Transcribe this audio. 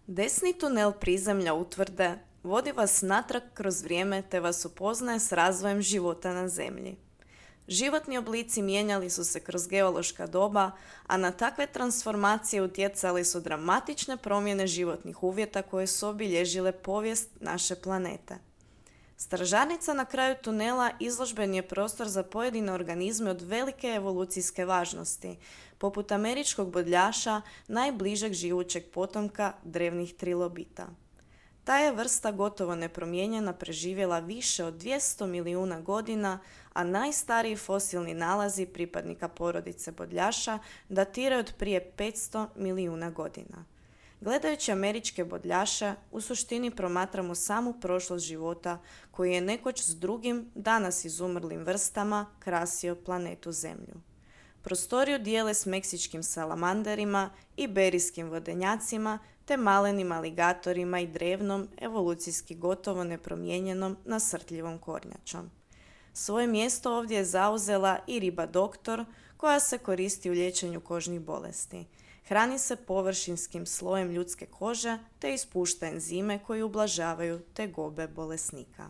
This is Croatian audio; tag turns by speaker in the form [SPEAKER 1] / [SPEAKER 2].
[SPEAKER 1] Desni tunel prizemlja utvrde vodi vas natrag kroz vrijeme te vas upoznaje s razvojem života na Zemlji. Životni oblici mijenjali su se kroz geološka doba, a na takve transformacije utjecali su dramatične promjene životnih uvjeta koje su obilježile povijest naše planete. Stražarnica na kraju tunela izložbeni je prostor za pojedine organizme od velike evolucijske važnosti, poput američkog bodljaša, najbližeg živućeg potomka drevnih trilobita. Ta je vrsta gotovo nepromijenjena preživjela više od 200 milijuna godina, a najstariji fosilni nalazi pripadnika porodice bodljaša datiraju od prije 500 milijuna godina. Gledajući američke bodljaše, u suštini promatramo samu prošlost života koji je nekoć s drugim, danas izumrlim vrstama krasio planetu Zemlju. Prostoriju dijele s meksičkim salamanderima, iberijskim vodenjacima te malenim aligatorima i drevnom, evolucijski gotovo nepromijenjenom nasrtljivom kornjačom. Svoje mjesto ovdje je zauzela i riba doktor, koja se koristi u liječenju kožnih bolesti. Hrani se površinskim slojem ljudske kože te ispušta enzime koji ublažavaju tegobe bolesnika.